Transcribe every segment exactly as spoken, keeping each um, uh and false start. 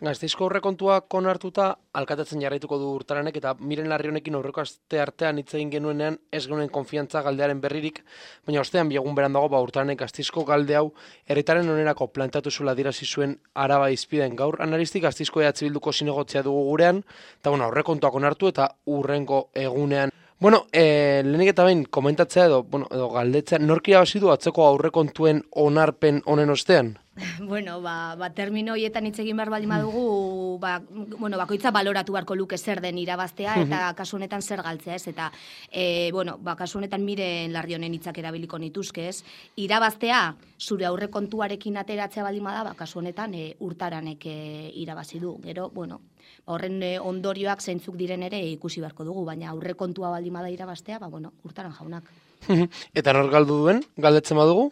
Gasteizko aurrekontuak onartuta alkatetzen jarraituko du Urtaranek eta Miren Larrionekin aurreko aste artean hitz egin genuenean ez genuen konfiantza galdearen berririk, baina ostean bi egun berandago ba Urtaranek Gasteizko galde hau herritarren onerako planteatu zuela adierazi zuen Araba Hizpiden. Gaur analistik Gasteizko E H Bilduko zinegotzia dugu gurean, eta bueno, aurrekontuak onartu eta urrengo egunean. Bueno, eh, lehenik eta behin komentatzea edo, bueno, edo galdetzea, nork irabazi du atzeko aurrekontuen onarpen honen ostean? Bueno, ba, ba termino hoietan hitz egin behar baldin badugu, ba, bueno, bakoitza baloratu beharko luke zer den irabaztea eta kasu honetan zer galtzea, ez? Eta e, bueno, ba, kasu honetan Miren Larrionen hitzak erabiliko nituzke, ez? Irabaztea zure aurrekontuarekin ateratzea baldin bada, ba, kasu honetan e, Urtaranek e, irabazi du. Gero, bueno, horren e, ondorioak zeintzuk diren ere ikusi beharko dugu, baina aurrekontua baldin bada irabaztea, ba, bueno, Urtaran jaunak. Eta nor galdu duen, galdetzen badugu?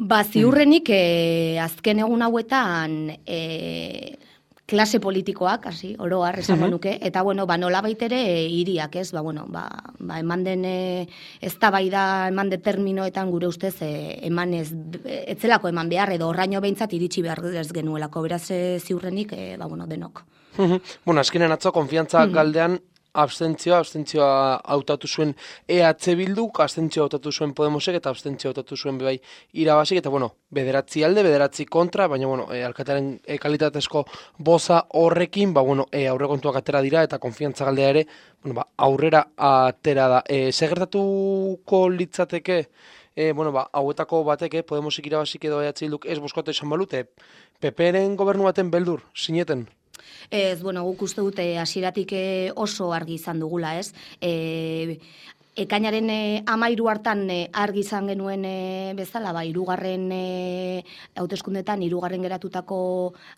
Ba, ziurrenik eh, azken egun hauetan eh, klase politikoak, hasi, oro har esango nuke, eta bueno, ba nolabait ere hiriak, ez? Ba bueno, ba, ba eman den eh, eztabaida, eman de terminoetan gure ustez eh, eman ez etzelako eman behar edo horraino behintzat iritsi behar ez genuelako. Beraz eh, ziurrenik eh, ba bueno, denok. Bueno, azkenen atzo konfiantza galdean abstentzioa, abstentzioa hautatu zuen E H Bilduk, abstentzioa hautatu zuen Podemosek eta abstentzioa hautatu zuen bebai irabazik, eta bueno, bederatzi alde, bederatzi kontra, baina bueno, e, alkatearen e, kalitatezko boza horrekin, ba bueno, e, aurrekontuak atera dira eta konfiantza galdea ere, bueno, ba, aurrera atera da. E, Segertatuko litzateke, e, bueno, ba, hauetako bateke, Podemosik irabazik edo E H Bilduk ez boskatu esan balute, P P-ren gobernu baten beldur, sineten? Ez, bueno, guk uste dute hasieratik oso argi izan dugula, ez? E, ekainaren e, amairu hartan e, argi izan genuen e, bezala, ba, irugarren e, hauteskundetan, irugarren geratutako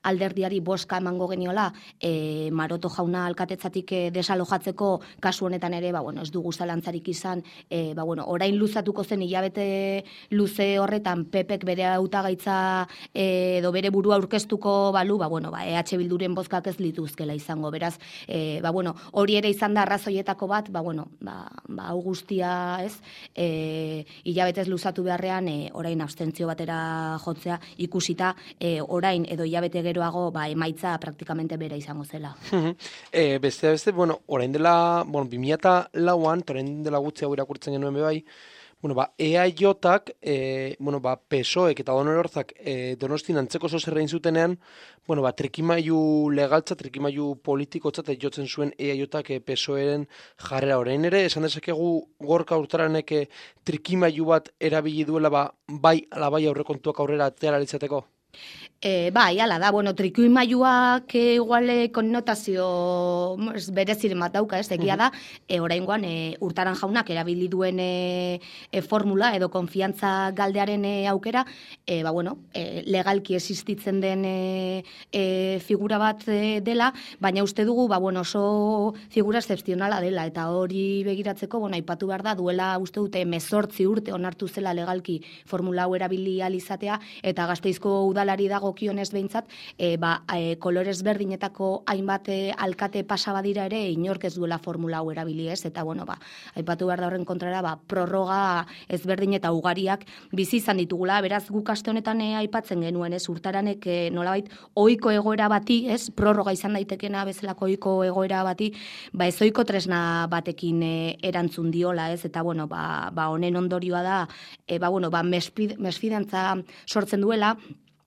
alderdiari boska emango geniola, e, Maroto jauna alkatetzatik e, desalojatzeko kasu honetan ere, ba, bueno, ez dugu zalantzarik izan, e, ba, bueno, orain luzatuko zen hilabete luze horretan Pepek bere hautagaitza e, edo bere burua aurkeztuko balu, ba, bueno, ba, E H Bilduren bozkak ez lituzkela izango, beraz, e, ba, bueno, hori ere izan da arrazoietako bat, ba, bueno, ba, ba, guztia, ez, e, hilabetez luzatu beharrean, e, orain abstentzio batera jotzea ikusita, e, orain edo hilabete geroago, ba, emaitza praktikamente bera izango zela. e, beste, beste, bueno, orain dela, bueno, bi mila lauan, orain dela gutxi hau irakurtzen genuen bebai, bueno, ba, E A J-ak, e, bueno, ba, P S O-ek eta Donorerzak e, Donostin antzeko zozerrein zutenean, bueno, ba, trikimailu legaltza, trikimailu politikotzat jotzen zuen E A J-ak e, P S O-eren jarrera orain ere, esan dezakegu Gorka Urtaranek e, trikimailu bat erabili duela, ba, bai, ala bai aurrekontuak aurrera atera izateko? E, bai, ala da, bueno, trikimailuak e, igual konnotazio bereziren bat dauka, ez, egia da, e, oraingoan e, Urtaran jaunak erabili duen e, e, formula edo konfiantza galdearen e, aukera, e, ba, bueno, e, legalki existitzen den e, e, figura bat e, dela, baina uste dugu, ba, bueno, oso figura excepzionala dela, eta hori begiratzeko, bueno, aipatu behar da, duela uste dute mezortzi urte onartu zela legalki formula hau erabili alizatea, eta Gasteizko udalari dago kionez behintzat, e, ba, e, kolorez berdinetako hainbat e, alkate pasabadira ere inork ez duela formula hau erabili, ez, eta bueno, ba, aipatu behar da horren kontrara, ba, prorroga ezberdin eta ugariak bizi izan ditugula, beraz guk aste honetan e, aipatzen genuen, ez, Urtaranek e, nolabait ohiko egoera bati, ez, prorroga izan daitekena bezalako ohiko egoera bati, ba, ez ohiko tresna batekin e, erantzun diola, ez, eta bueno, ba, ba honen ondorioa da, e, ba, bueno, ba, mesfidantza sortzen duela,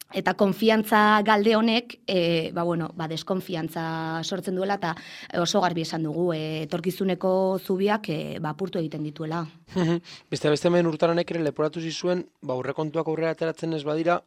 eta konfiantza galde honek, e, ba, bueno, ba, deskonfiantza sortzen duela, eta oso garbi esan dugu, e, etorkizuneko zubiak e, ba, apurtu egiten dituela. Beste beste hemen Urtaranek ere leporatu zizuen, ba, aurrekontuak aurrera ateratzen ez badira,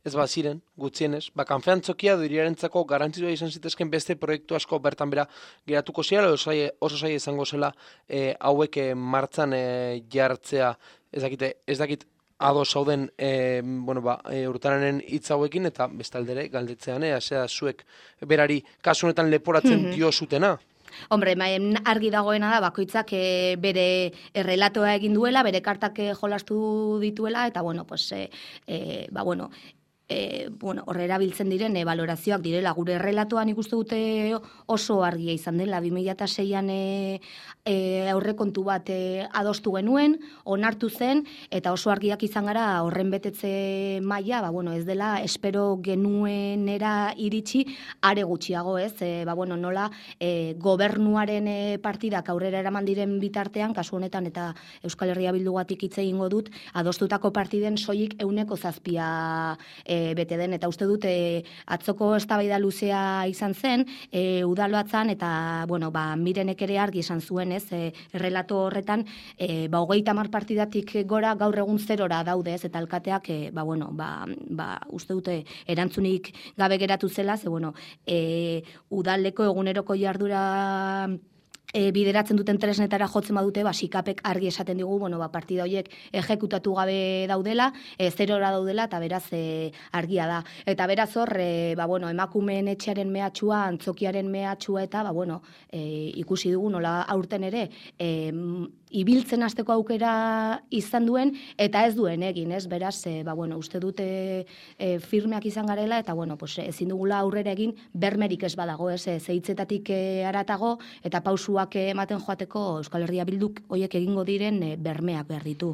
ez baziren, gutxienez, ba, kanfeantzokia duriarentzako garantzioa izan zitezken beste proiektu asko bertan bera geratuko zira, oso zaila izango zela e, hauek e, martzan e, jartzea, ez dakite, ez dakit, ados zauden e, bueno, ba, e, Urtaranen hitz hauekin eta bestaldere galdetzean, ea, zera zuek berari kasu honetan leporatzen dio zutena. Hombre, argi dagoena da, bakoitzak e, bere errelatoa egin duela, bere kartak jolastu dituela, eta bueno, pues, e, e, ba, bueno, E, bueno, horre erabiltzen diren e, valorazioak direla. Gure errelatoan ikuste dute oso argia izan dela. bi mila seian e, e, aurrekontu bat e, adostu genuen, onartu zen, eta oso argiak izan gara horren betetze maila, ba, bueno, ez dela espero genuenera iritsi are gutxiago, ez? E, ba, bueno, nola e, gobernuaren e, partidak aurrera eraman diren bitartean, kasu honetan eta Euskal Herria Bildugatik hitz egingo dut, adostutako partiden soilik euneko zazpia e, bete den, eta uste dute atzoko eztabaida luzea izan zen, e, udalbatzan, eta, bueno, ba, Mirenek ere argi esan zuen, ez, e, errelato horretan, e, ba, hogeita hamar partidatik gora gaur egun zerora daude, ez, eta alkateak, e, ba, bueno, ba, ba, uste dute erantzunik gabe geratu zela, ze, bueno, e, udaleko eguneroko jardura E, bideratzen duten tresnetara jotzen badute, ba, sikapek argi esaten digu, bueno, ba, partida horiek ejekutatu gabe daudela, e, zerora daudela, eta beraz e, argia da. Eta beraz hor, e, ba, bueno, emakumeen etxearen mehatxua, antzokiaren mehatxua, eta, ba, bueno, e, ikusi dugu, nola aurten ere, e, ibiltzen hasteko aukera izan duen, eta ez duen egin, ez? Beraz, e, ba, bueno, uste dute e, firmeak izan garela, eta, bueno, pues, ezin dugula aurrera egin, bermerik ez badago, ez? E, zeitzetatik e, aratago, eta pausuak ematen joateko Euskal Herria Bilduk hoiek egingo diren e, bermeak behar ditu.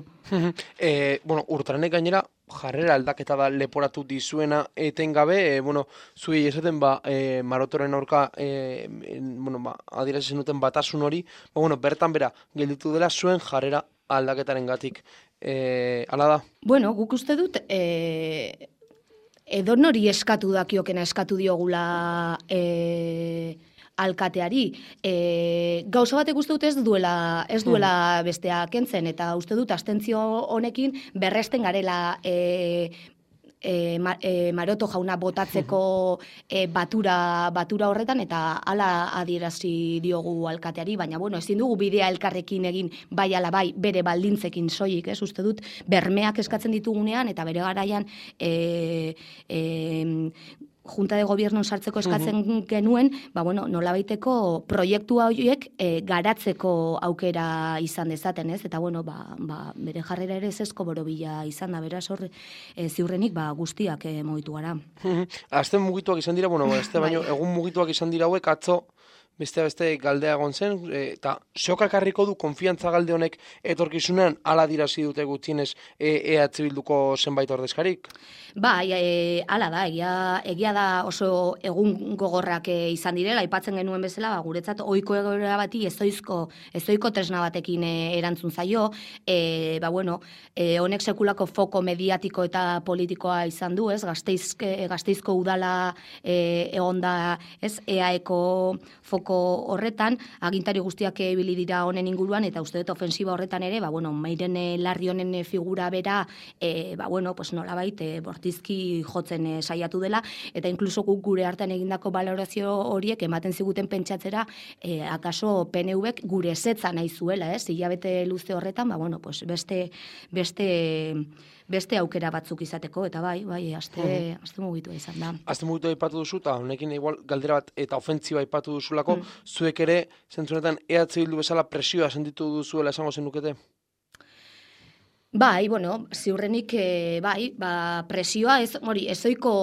e, bueno, Urtaranek gainera, jarrera aldaketa da leporatu dizuena etengabe, e, bueno, zuei esaten ba, e, Marotoren aurka, e, bueno, ba, adierazi zenuten batasun hori, ba, bueno, bertan bera, gelditu dela zuen jarrera aldaketaren gatik. E, ala da? Bueno, guk uste dut, e, edonori eskatu dakiokena eskatu diogula e, alkateari. E, gauza batek uste dut ez duela, ez duela bestea kentzen, eta uste dut abstentzio honekin berresten garela e, e, ma, e, Maroto jauna botatzeko e, batura, batura horretan, eta hala adierazi diogu alkateari, baina bueno, ezin dugu bidea elkarrekin egin bai ala bai bere baldintzekin soilik, ez? Uste dut bermeak eskatzen ditugunean, eta bere garaian e, e, Junta de Gobierno sartzeko eskatzen uh-huh. genuen, ba, bueno, nolabaiteko proiektua horiek e, garatzeko aukera izan dezaten, ez? Eta, bueno, ba, ba, bere jarrera ere zezko borobila izan da, beraz hor, e, ziurrenik ba, guztiak e, mugitu gara. Uh-huh. Azte mugituak izan dira, bueno, azte baino, egun mugituak izan dira hauek, atzo, beste beste galdea egon zen, eta zeokak harriko du konfiantza galde honek etorkizunean ala dirazi dute gutxienez E H Bilduko zenbait ordezkarik? Bai, e, ala da, egia, egia da oso egun gogorrak e, izan direla, aipatzen genuen bezala, ba, guretzat ohiko egoera bati ezoizko, ezoiko tresna batekin e, erantzun zaio, e, ba, bueno, e, honek sekulako foko mediatiko eta politikoa izan du, ez, Gasteizke, Gasteizko udala e, egonda, ez, E A Eko foko horretan, agintari guztiak ibili dira honen inguruan, eta uste dut ofensiba horretan ere, ba, bueno, Mairen Larri honen figura bera, e, ba, bueno, pues nolabait, e, bortizki jotzen e, saiatu dela, eta inkluso guk gure artean egindako balorazio horiek ematen ziguten pentsatzera, e, akaso P N Vek gure ezetza nahi zuela, ez, hilabete luze horretan, ba, bueno, pues beste, beste, beste aukera batzuk izateko, eta bai, bai, aste, mm. aste mugitua izan da. Aste mugitua aipatu duzu, eta honekin igual galdera bat eta ofentziba aipatu duzulako, mm. zuek ere, zentzunetan, E H Bildu bezala presioa sentitu duzuela esango zenukete? Bai, bueno, ziurrenik, e, bai, ba, presioa, ez, hori, ezoiko...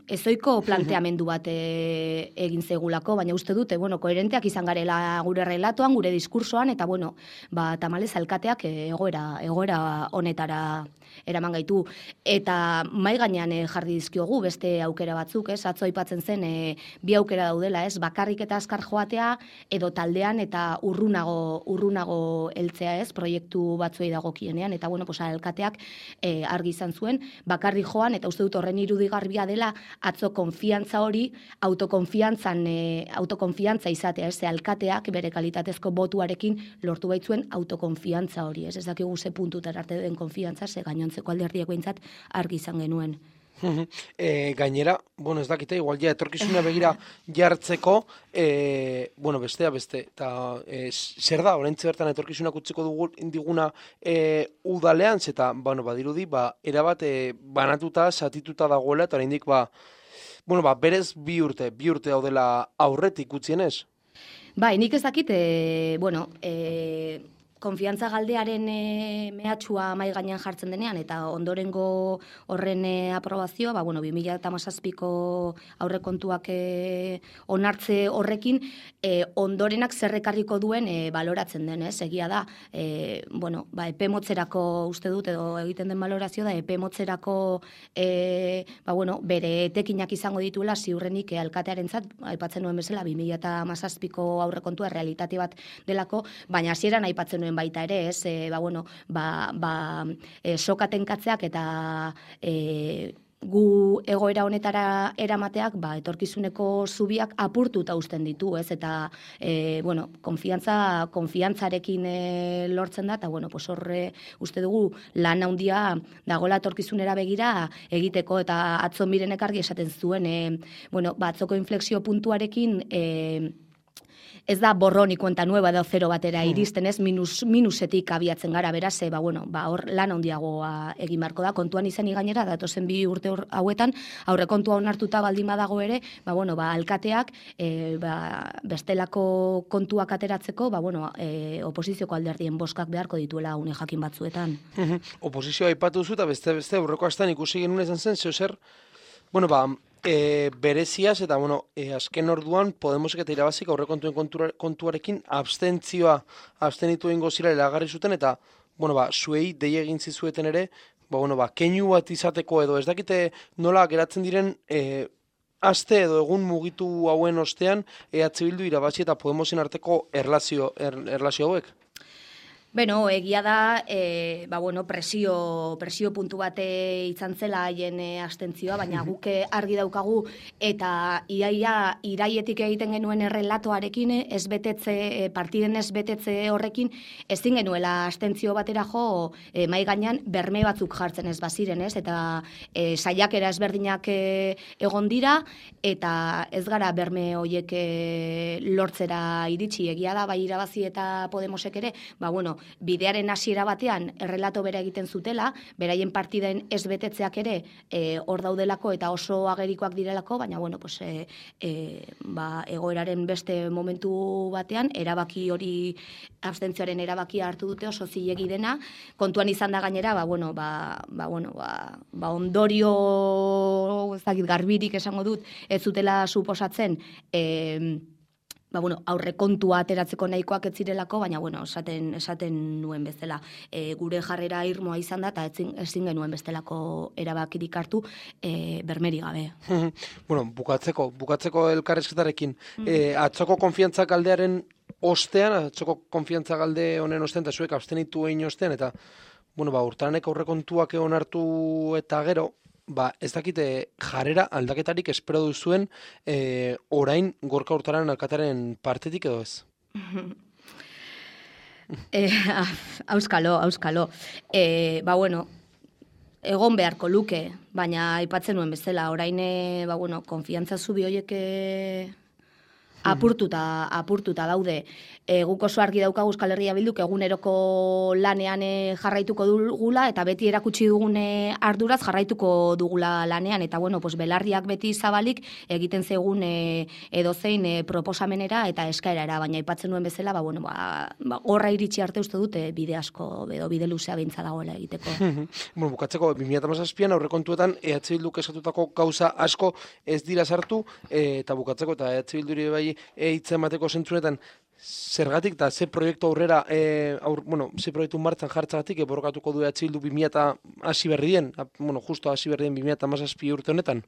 ezoiko planteamendu bat e, egin zegulako, baina uste dute, bueno, koherenteak izan garela gure relatoan, gure diskursoan, eta, bueno, ba, tamalez alkateak egoera, egoera honetara eraman gaitu. Eta mai gainean e, jarri dizkiogu beste aukera batzuk, ez? Atzo aipatzen zen e, bi aukera daudela, ez? Bakarrik eta azkar joatea, edo taldean eta urrunago, urrunago heltzea, ez? Proiektu batzuei dagokienean, eta, bueno, pues, alkateak e, argi izan zuen, bakarrik joan, eta uste dut horren irudigarbia dela, atzo konfiantza hori, autokonfiantzan, e, autokonfiantza izatea, ez, alkateak bere kalitatezko botuarekin lortu baitzuen autokonfiantza hori, ez, ez dakigu ze puntutara arte den konfiantza, ze gainontzeko alderdiak behintzat argi izan genuen. E, gainera, bueno, ez dakite, igual ja etorkizuna begira jartzeko, e, bueno, bestea beste, eta e, zer da, oraintze bertan etorkizunak utziko dugu diguna e, udalean, eta, bueno, badirudi, ba, erabat e, banatuta, satituta dagoela, eta oraindik, ba, bueno, ba, berez bi urte, bi urte daudela aurretik utzienez. Bai, nik ez dakit, e, bueno, e, konfiantza galdearen e, mehatxua mai gainean jartzen denean, eta ondorengo horren e, aprobazioa, ba, bueno, bi mila hamazazpiko aurrekontuak e, onartze horrekin, e, ondorenak zerrekarriko duen e, baloratzen den, ez? Egia da, e, bueno, ba, epe motzerako uste dut, edo egiten den balorazio da, epe motzerako e, ba, bueno, bere etekinak izango dituela ziurrenik e, alkatearentzat, aipatzen nuen bezala, bi mila hamazazpiko aurrekontua realitate bat delako, baina hasieran aipatzen nuen baita ere, ez, e, ba, bueno, ba, ba, e, sokatenkatzeak eta e, gu egoera honetara eramateak, ba, etorkizuneko zubiak apurtuta uzten ditu, ez, eta, e, bueno, konfiantza, konfiantzarekin e, lortzen da, eta, bueno, pues horre uste dugu lan handia dagoela etorkizunera begira egiteko, eta atzo Mirenek argi esaten zuen, e, bueno, ba, atzoko inflexio puntuarekin, e, ez da borroni kuenta nueva edo zero batera iristen, ez, minus, minusetik abiatzen gara, beraz, e, ba, bueno, ba, hor lan handiagoa egin beharko da, kontuan izan gainera, datozen bi urte hauetan, aurrekontua onartuta baldin badago ere, ba, bueno, ba, alkateak, e, ba, bestelako kontuak ateratzeko, ba, bueno, e, oposizioko alderdien boskak beharko dituela une jakin batzuetan. Oposizioa aipatu duzu, eta beste, beste, aurreko astan ikusi genuen izan zen, zeo zer, bueno, ba, E, bereziaz, eta bueno, e, azken orduan Podemosek eta irabazik aurrekontuen kontua, kontuarekin abstentzioa abstenitu egingo zira iragarri zuten, eta bueno, ba, zuei dei egin zizueten ere, ba, bueno, ba, keinu bat izateko edo, ez dakite nola geratzen diren e, aste edo egun mugitu hauen ostean E H Bildu irabazi eta Podemosen arteko erlazio, er, erlazio hauek? Beno, egia da, e, ba, bueno, presio, presio puntu bate izan zela haien e, abstentzioa, baina guke argi daukagu eta iaia iraietik egiten genuen errelatoarekin ez betetze, e, partiden ez betetze horrekin, ezin genuela abstentzio batera jo e, mai gainean berme batzuk jartzen ez baziren, ez? Eta e, saiakera ezberdinak e, egon dira, eta ez gara berme hoiek e, lortzera iritsi, egia da, bai irabazi eta Podemosek ere, ba, bueno, bidearen hasiera batean errelato bera egiten zutela, beraien partiden ez betetzeak ere e, hor daudelako eta oso agerikoak direlako, baina bueno, pues, e, e, ba, egoeraren beste momentu batean, erabaki hori, abstentzioaren erabakia hartu dute oso zilegi dena, kontuan izan da gainera, ba, bueno, ba, ba, bueno, ba, ba ondorio ez dakit garbirik esango dut, ez zutela suposatzen, e, ba, bueno, aurrekontua ateratzeko nahikoak ez zirelako, baina bueno, esaten, esaten nuen bezala. E, gure jarrera irmoa izan da, eta ezin, ezin genuen bestelako erabakirik hartu e, bermeri gabe. Bueno, bukatzeko, bukatzeko elkarrezketarekin, mm. e, atzoko konfiantza galdearen ostean, atzoko konfiantza galde honen ostean, eta zuek abstenitu egin ostean, eta bueno, ba, urtaranek aurrekontuak egon hartu eta gero, ba, ez dakite jarrera aldaketarik espero duzuen e, orain Gorka Urtaran alkataren partetik edo ez? e, auskalo, auskalo. E, ba, bueno, egon beharko luke, baina aipatzen nuen bezala, orain, ba, bueno, konfiantza zubi horiek apurtuta, apurtuta daude. E, guk oso argi daukagu Euskal Herria Bilduk eguneroko lanean e, jarraituko dugula, eta beti erakutsi dugune arduraz jarraituko dugula lanean, eta bueno, pues, belarriak beti zabalik egiten zegun e, edozein e, proposamenera eta eskaerara, baina aipatzen nuen bezala, ba, bueno, ba, ba, horra iritsi arte uste dute bide asko, edo bide luzea beintza dagoela egiteko. Bueno, bukatzeko, bi mila hamazazpian aurrekontuetan E H Bilduk esatutako gauza asko ez dira sartu, e, eta bukatzeko, eta E H Bilduri bai eitzen mateko zentzunetan, zergatik eta ze proiektu aurrera, e, aur, bueno, ze proiektu martzan jartzagatik, eborokatuko du E H Bildu bi mila hasi berri dien, bueno, justo hasi berri dien bi mila hamazazpi urte honetan?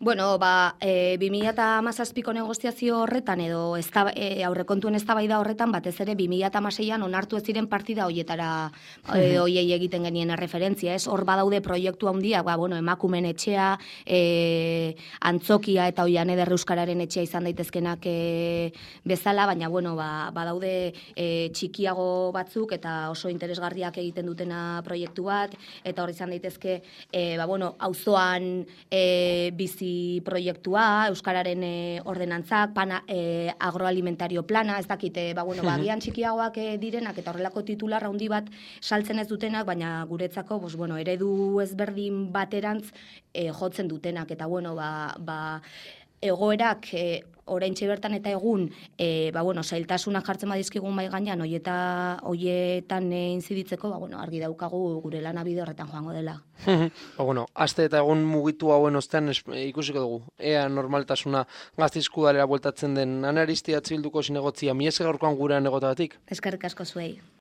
Bueno, ba, e, bi mila hamazazpiko negoziazio horretan edo ezta, e, aurrekontuen eztabaida horretan batez ere bi mila hamaseian onartu ez ziren partida hoietara e, hoiei egiten genien referentzia, ez? Hor badaude proiektu handiak, ba, bueno, emakumen etxea, e, antzokia eta Oian Eder Euskararen etxea izan daitezkenak e, bezala, baina bueno, ba, badaude e, txikiago batzuk eta oso interesgarriak egiten dutena proiektu bat, eta hor izan daitezke, e, ba, bueno, auzoan e, bizi proiektua, Euskararen e, ordenantzak, pana, e, agroalimentario plana, ez dakite, ba, bueno, ba, gian txikiagoak e, direnak, eta horrelako titular handi bat saltzen ez dutenak, baina guretzako, bos, bueno, eredu ezberdin baterantz e, jotzen dutenak, eta bueno, ba, ba egoerak e, oraintxe bertan eta egun e, ba, bueno, zailtasunak jartzen badizkigun mai gainean hoieta hoietan e, inziditzeko, ba, bueno, argi daukagu gure lana bide horretan joango dela. Ba, bueno, aste eta egun mugitu hauen ostean es, e, ikusiko dugu. Ea normaltasuna Gasteizko udalera bueltatzen den. Ana Aristia Bilduko zinegotzia, mi esker gaurkoan gurean egotagatik. Eskerrik asko zuei.